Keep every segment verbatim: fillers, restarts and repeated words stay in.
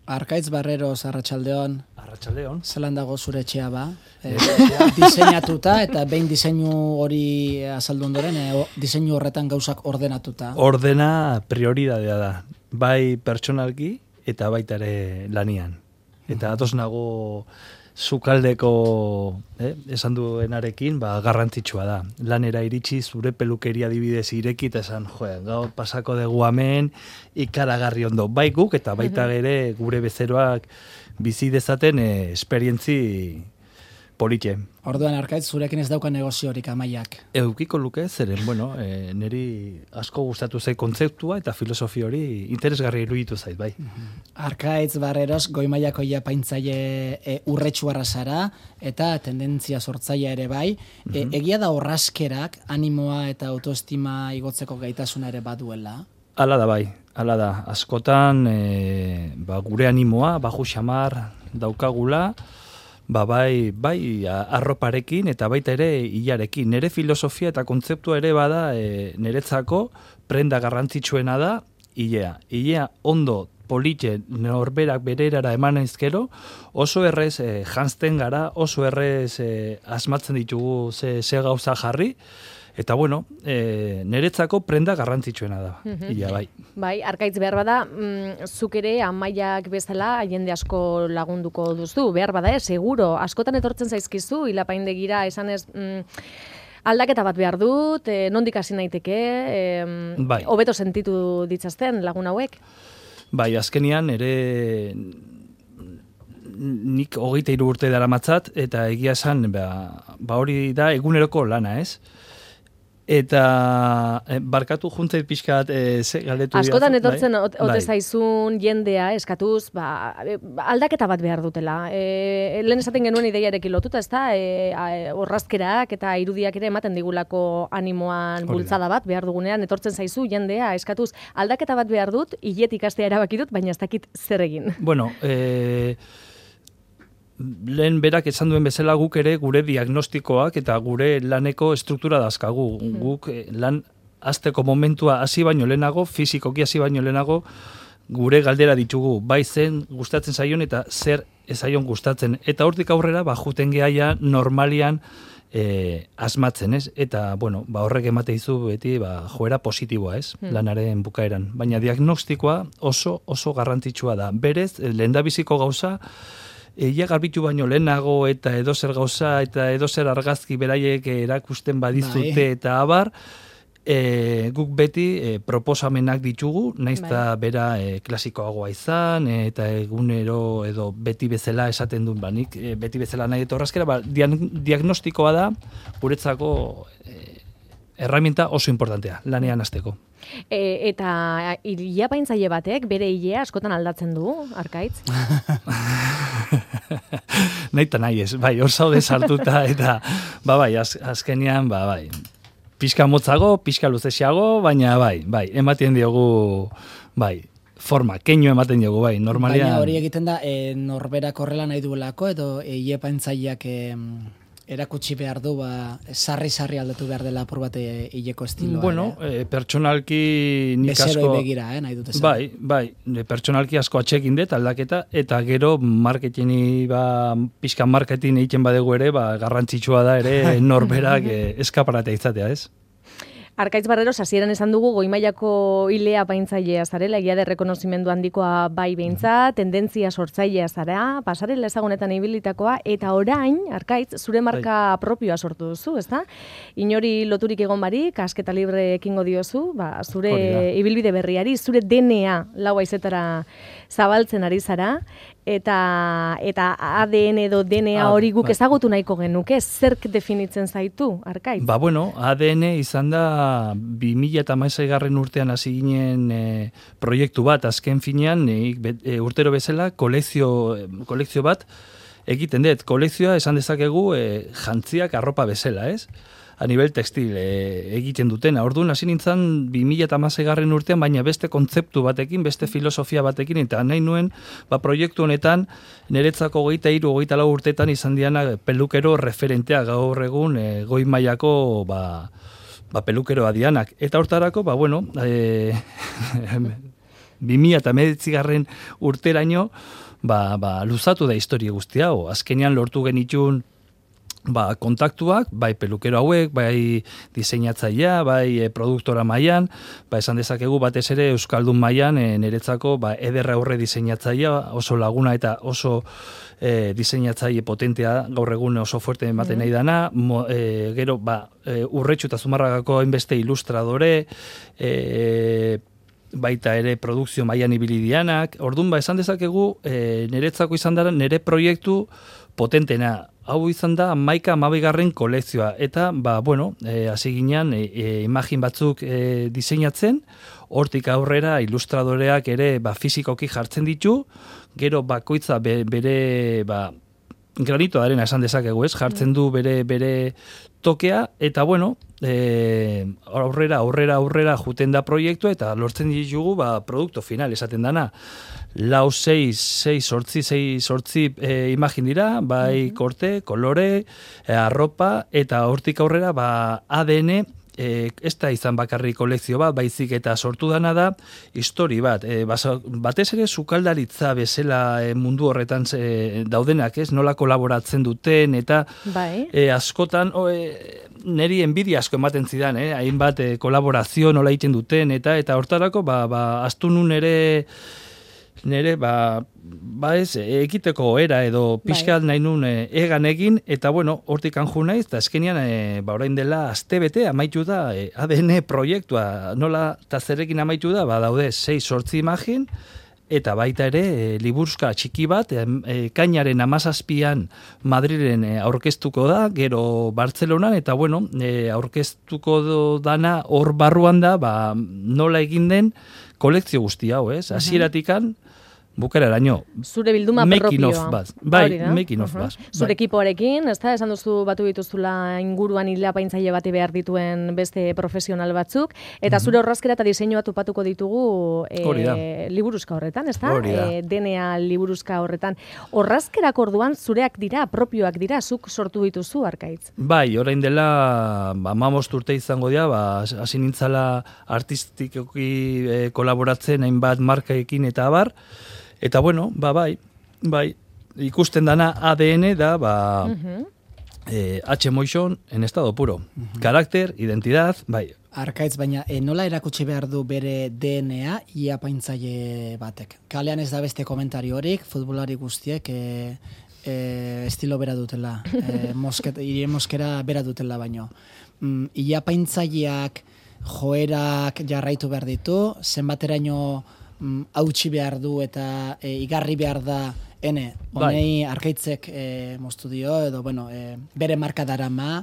Arkaitz Barreros, Arratsaldeon. Arratsaldeon. Zelan dago zure etxea ba? E, diseinatuta eta behin diseinu hori azaldu ondoren, e, diseinu horretan gauzak ordenatuta. Ordena prioridadea da. Bai pertsonalki eta baita ere lanian. Eta atoz nago sukaldeko eh, esan duenarekin, ba, garrantzitsua da. Lanera iritsi zure pelukeria adibidez ireki eta esan, jo, gaur pasako dugu hemen ikaragarri ondo. Bai guk eta baita ere gure bezeroak bizi dezaten eh, esperientzi politxe. Orduan Arkaitz, zurekin ez dauka negoziorik Amaiak. Eukiko luke, zeren, bueno, e, niri asko gustatu zait kontzeptua eta filosofi hori interesgarri iruditu zait, bai. Arkaitz Barreros, goi mailako japaintzaile e, urretsuarra zara eta tendentzia sortzailea ere bai. E, egia da orrazkerak animoa eta autoestima igotzeko gaitasuna ere baduela? Hala da bai, hala da. Askotan e, ba, gure animoa, baju xamar daukagula, Ba, bai, bai arroparekin eta baita ere hilarekin. Nere filosofia eta kontzeptua ere bada e, niretzako prenda garrantzitsuena da hilea. Hilea ondo politxe norberak bererara eman ezkero, oso errez e, janzten gara, oso errez e, asmatzen ditugu ze, ze gauza jarri, eta bueno, e, niretzako prenda garrantzitsuena da, mm-hmm. Ia bai. Bai, Arkaitz behar bada, mm, zuk ere Amaiak bezala jende asko lagunduko duzu, behar bada, eh, seguro, askotan etortzen zaizkizu, hilapaindegira esanez, mm, aldaketa bat behar dut, eh, nondik hasi naiteke, eh, bai. Hobeto sentitu ditzazten lagun hauek? Bai, azkenian ere nik hogeita hiru urte daramatzat, eta egia esan, ba, ba hori da eguneroko lana, ez? Eta eh, barkatu juntzait pixkat eh, ze galdetu dira. Askotan etortzen bai? ote bai. Zaizun jendea eskatuz, ba, aldaketa bat behar dutela. E, lehen esaten genuen ideiarekin lotuta, ez da, e, orrazkerak eta irudiak ere ematen digulako animoan bultzada bat behar dugunean, etortzen zaizu jendea eskatuz, aldaketa bat behar dut, hilet ikastea erabaki dut, baina ez dakit zer egin. Bueno, eh... lehen berak esan duen bezala guk ere gure diagnostikoak eta gure laneko struktura dazkagu. Mm. Guk lan hasteko momentua hasi baino lehenago, fizikoki hasi baino lehenago, gure galdera ditugu, bai zen gustatzen zaion eta zer ez zaion gustatzen. Eta hortik aurrera, ba, juten gehaia normalian e, asmatzen, ez? Eta, bueno, ba, horrek emate dizu beti ba, joera positiboa, ez? Mm. Lanaren bukaeran. Baina diagnostikoa oso, oso garrantzitsua da. Berez, lehendabiziko gauza, Eia garbitu baino lehenago eta edozer gauza eta edozer argazki beraiek erakusten badizute bai. Eta abar, e, guk beti e, proposamenak ditugu, naiz eta bai. Bera e, klasikoagoa izan, e, eta egunero edo beti bezala esaten duen banik, e, beti bezala nahi etorrazkera, ba, diagnostikoa da, guretzako e, herramienta oso importantea, lanean hasteko. E, eta hilapaintzaile batek bere hilea askotan aldatzen du, Arkaitz? Nahi eta nahi ez, bai, hor zaude sartuta, eta, ba, bai, az, azkenian, ba, bai, pixka motzago, pixka luzesiago, baina, bai, bai, ematen diogu, bai, forma, keinu ematen diogu, bai, normalian. Baina hori egiten da, e, norberak horrela nahi duelako, edo hilapaintzaileak e, erakutsi behar du, ba, sarri-sarri aldatu behar dela apur bat hileko estiloa. Bueno, eh? e, pertsonalki nik asko... Bezeroi begira, eh, nahi dut esan. Bai, bai, pertsonalki asko atxekin dut aldaketa, eta gero marketingi, ba, pixka marketing egiten badegu ere, ba, garrantzitsua da ere norberak e, eskaparatea izatea, ez? Arkaitz Barreros, hasieran esan dugu goi mailako hilea paintzailea zarela, egia de rekonozimendu handikoa bai beintza, tendentzia sortzailea zara, pasarela ezagunetan ibilitakoa, eta orain, Arkaitz, zure marka bai. Propioa sortu duzu, ezta? Inori loturik egon barik, asketa libre ekingo diozu, ba, zure ibilbide berriari, zure D N A lau haizetara zabaltzen ari zara, eta eta A D N edo D N A hori guk ezagutu nahiko genuke, zerk definitzen zaitu, Arkaitz? Ba, bueno, A D N izan da bi mila hamaseigarren urtean hasi ginen e, proiektu bat, azken finean e, e, urtero bezala kolekzio, kolekzio bat egiten dut. Kolekzioa esan dezakegu e, jantziak arropa bezala, ez? A nivel textil e, egiten dutena. Orduan hasi nintzen bi mila hamaseigarren urtean, baina beste kontzeptu batekin, beste filosofia batekin, eta nahi nuen, ba, proiektu honetan, niretzako hogeita hiru, hogeita lau urtetan izan diana pelukero referentea gaur egun e, goi mailako ba, ba, pelukeroa dianak. Eta hortarako, ba, bueno, e, bi mila hemeretzigarren urteraino, ba, ba, luzatu da historia guzti hau. Azkenean lortu genitun ba, kontaktuak, bai pelukero hauek, bai diseinatzailea, bai e, produktora mailan, ba, esan dezakegu batez ere Euskaldun mailan e, niretzako ba, ederra aurre diseinatzailea, oso laguna eta oso e, diseinatzaile potentea, gaur egun oso fuerte ematen nahi dana, mo, e, gero ba, e, Urretxu eta Zumarragako hainbeste ilustradore, e, baita ere produkzio mailan ibili dianak, orduan ba, esan dezakegu e, niretzako izan dara nire proiektu potentena. Hau izan da hamaika hamabigarren kolekzioa eta ba bueno, eh hasi ginean e, e, imagin batzuk e, diseinatzen, hortik aurrera ilustradoreak ere ba fisikoki jartzen ditu, gero bakoitza be, bere ba granito de arena esan dezakegu, ez? Jartzen du bere bere tokea eta bueno, eh aurrera aurrera aurrera juten da proiektua eta lortzen ditugu ba produkto final esaten dana. Lau, seis, seis, sortzi, seis, sortzi e, imagin dira, bai korte, kolore, e, arropa, eta hortik aurrera, ba, A D N, e, ez da izan bakarri kolekzio bat, baizik eta sortu dana da, histori bat. E, basa, batez ere, sukaldaritza bezala e, mundu horretan e, daudenak, ez? Nola kolaboratzen duten, eta bai. e, askotan, o, e, neri enbidia asko ematen zidan, eh? Hainbat e, kolaborazio nola egiten duten, eta eta hortarako, ba, ba, astu nun ere, nere, ba, ba ez, ekiteko era edo pixkat nahi nun e, egan egin, eta bueno, hortik anju naiz, eta eskenean, e, ba, orain dela astebete amaitu da e, A D N proiektua, nola eta zerekin amaitu da, ba, daude sei sortzi imagin, eta baita ere, e, liburuzka txiki bat, e, kainaren amazazpian Madrilen e, aurkeztuko da, gero Bartzelonan, eta bueno, e, aurkeztuko dana hor barruan da, ba, nola egin den kolekzio guzti hau, ez? Hasieratikan, bukararaino. Zure bilduma propioa. Bat. Bai, making of bat. Zure ekipoarekin, ez da, esan duzu batu dituzula inguruan hilapaintzaile bati behar dituen beste profesional batzuk, eta zure orrazkera eta diseinua topatuko ditugu e, liburuzka horretan, ez da? E, D N A liburuzka horretan. Orrazkerak orduan zureak dira, propioak dira, zuk sortu dituzu, Arkaitz? Bai, orain dela, ba, hamabost urte izango dira, ba, hasi nintzala artistikoki e, kolaboratzen hainbat markaekin eta abar, eta bueno, ba, bai, bai, ikusten dana A D N da, ba, uh-huh. eh, H-Motion en estado puro. Uh-huh. Karakter, identidad, bai. Arkaitz, baina e, nola erakutsi behar du bere D N A ia paintzaile batek? Kalean ez da beste komentario horik, futbolari guztiek e, e, estilo bera dutela, e, mosket, ire moskera bera dutela baino. Mm, ia paintzaileak joerak jarraitu behar ditu, zenbateraino hautsi behar du eta e, igarri behar da ene, honei Arkaitzek e, moztu dio, edo bueno, e, bere marka darama.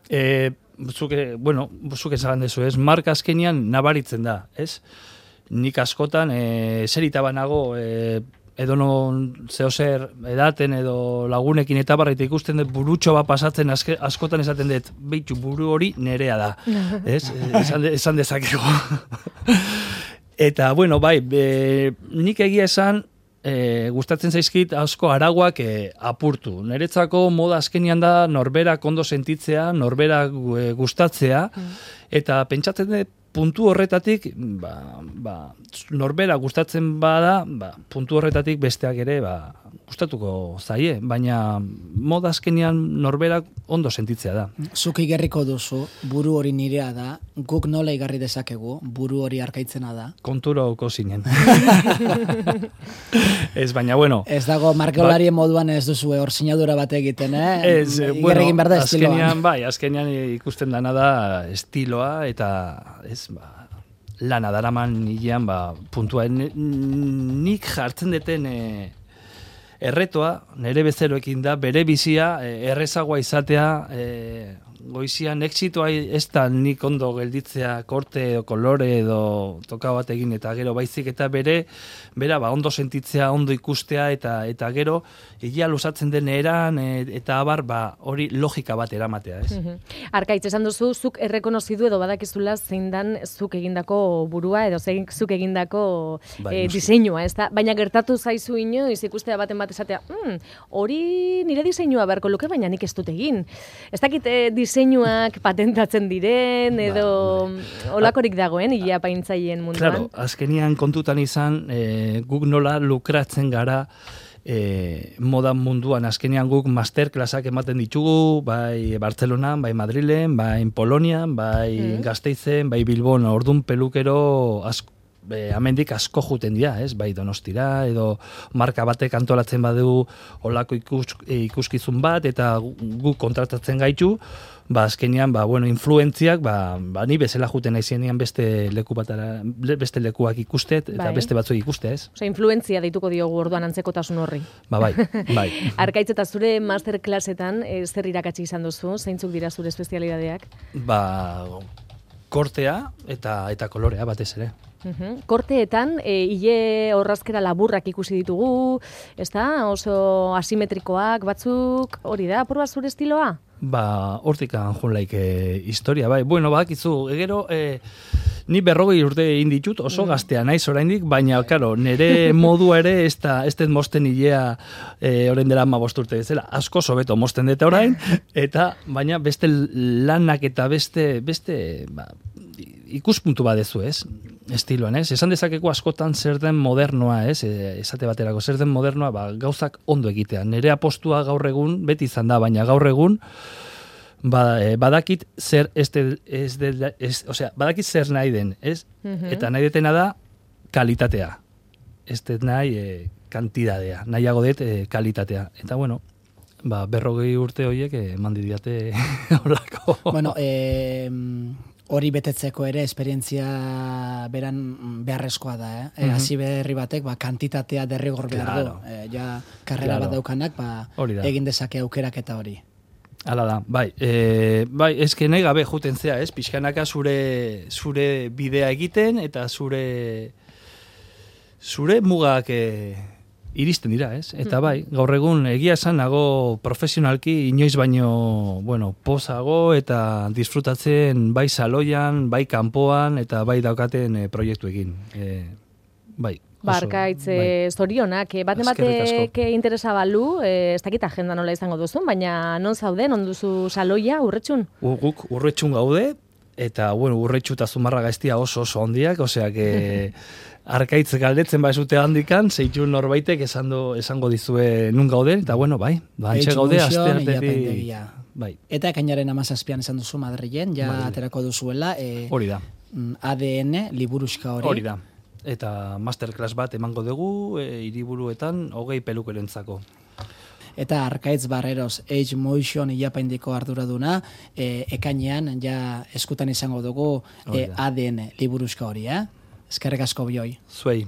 E, zuke, bueno, zuke zagan dezu, ez? Marka azkenian nabaritzen da, ez? Nik askotan, e, zerita banago, e, edo non zehozer edaten edo lagunekin eta barraita ikusten dut burutxo bat pasatzen aske, askotan esaten dut, behitu buru hori nerea da, ez? Esan, de, esan dezakego. Eta, bueno, bai, e, nik egia esan, e, gustatzen zaizkit asko araguak e, apurtu. Niretzako moda azkenian da norberak ondo sentitzea, norberak e, gustatzea, mm. eta pentsatzen dut puntu horretatik, ba, ba, norbera gustatzen bada, ba, puntu horretatik besteak ere ba, gustatuko zaie, baina moda azkenean norberak ondo sentitzea da. Zuk igerriko duzu, buru hori nirea da, guk nola igarri dezakegu, buru hori Arkaitzena da. Kontura oko zinen. Ez, baina bueno. Ez dago markeolarien ba, moduan ez duzu hor sinadura bat egiten, eh? Ez, bueno, azkenean, bai, azkenean ikusten dana da estiloa eta ez, ba, lana daraman nilean, ba, puntua, nik jartzen deten e, erretoa, nire bezeroekin da, bere bizia, e, errezagoa izatea, e, goizian exitoa ez da nik ondo gelditzea korte edo kolore edo toka bat egin eta gero baizik eta bere, bera ba, ondo sentitzea, ondo ikustea eta eta gero egia luzatzen den eran e, eta abar ba, hori logika bat eramatea, ez? Uh-huh. Arkaitz, esan duzu, zuk errekonozidu edo badakizula zein dan zuk egindako burua edo zein zuk egindako bai, e, diseinua, ez da? Baina gertatu zaizu inoiz ikustea baten bat esatea, mm, hori nire diseinua beharko luke, baina nik ez dut egin. Ez dakit e, diseinuak patentatzen diren, edo ba, olakorik dagoen, ile apaintzaileen munduan. Claro, azkenian kontutan izan, e, guk nola lukratzen gara e, moda munduan. Azkenean guk masterclassak ematen ditugu, bai Bartzelonan, bai Madrilen, bai Polonian, bai mm. Gasteizen, bai Bilbon, ordun pelukero asko. Be, amendik asko juten dira, ez? Bai Donostira, edo marka batek antolatzen badu olako ikus, ikuskizun bat, eta guk kontratatzen gaitu, ba, azkenean, ba, bueno, influentziak, ba, ba, ni bezala juten naizenean beste leku batara, beste lekuak ikustet, eta bai. Beste batzuk ikuste, ez? Osea, influentzia deituko diogu orduan antzekotasun horri. Ba, bai, bai. Arkaitz, eta zure masterclassetan, e, zer irakatsi izan duzu? Zeintzuk dira zure espezialidadeak? Ba, kortea eta eta kolorea batez ere. Uhum. Korteetan, e, ile orrazkera laburrak ikusi ditugu, ez da? Oso asimetrikoak batzuk, hori da, apur bat zure estiloa? Ba, hortikan junlaik e, historia, bai. Bueno, bakizu, egero, e, ni berrogei urte egin ditut, oso mm. gaztea naiz oraindik, baina, karo, nire modua ere, ez da, ez den mosten hilea e, orain dela ama bost urte bezala, asko sobeto mosten deta orain, eta, baina, beste lanak eta beste, beste, ba, ikuspuntu badezu, ez? Estiloan, ez? Esan dezakeko askotan zer den modernoa, ez? Esate baterako, zer den modernoa, ba, gauzak ondo egitea. Nere apostua gaur egun, beti izan da, baina gaur egun, ba, e, badakit zer, ez de, ez de, ez, osea, badakit zer nahi den, ez? Mm-hmm. Eta nahi detena da, kalitatea. Ez det nahi, e, kantidadea. Nahiago det, e, kalitatea. Eta, bueno, ba, berrogei urte horiek, e, mandi diate horako. Bueno, eh... hori betetzeko ere esperientzia beran beharrezkoa da, eh? Mm-hmm. Hasi berri batek, ba, kantitatea derrigor behar claro. du. E, ja, karrera claro. bat daukanak, ba, egin dezake aukerak eta hori. Hala da, bai. E, bai, eske nahi gabe juten zea, ez? Pixkanaka zure, zure bidea egiten, eta zure zure mugak e, iristen dira, ez? Eta bai, gaur egun egia esan nago profesionalki inoiz baino, bueno, pozago eta disfrutatzen bai saloian, bai kanpoan eta bai daukaten e, proiektuekin. E, bai. Barkaitz, bai. Zorionak, baten batek interesa balu, e, ez dakit agenda nola izango duzun, baina non zaude, non duzu saloia, Urretxun? Guk Urretxun gaude, eta, bueno, Urretxu eta Zumarra Gaiztia oso oso ondiak, osea, que Arkaitz galdetzen baizute handikan, zeitu norbaitek esango, esango dizue nun gauden, eta bueno, bai, bantxe gaude, aste artetik. Bai. Eta ekainaren amazazpian esan duzu Madrilen, ja bai. Aterako duzuela. E, hori da. A D N, liburuxka hori. Hori da. Eta masterclass bat emango dugu, e, hiriburuetan, hogei pelukerentzako. Eta Arkaitz Barreros, Age Motion ilapaindiko arduraduna, e, ekainean ja eskutan izango dugu e, A D N, liburuxka hori, eh? Eskerrik asko bioi. Zuei.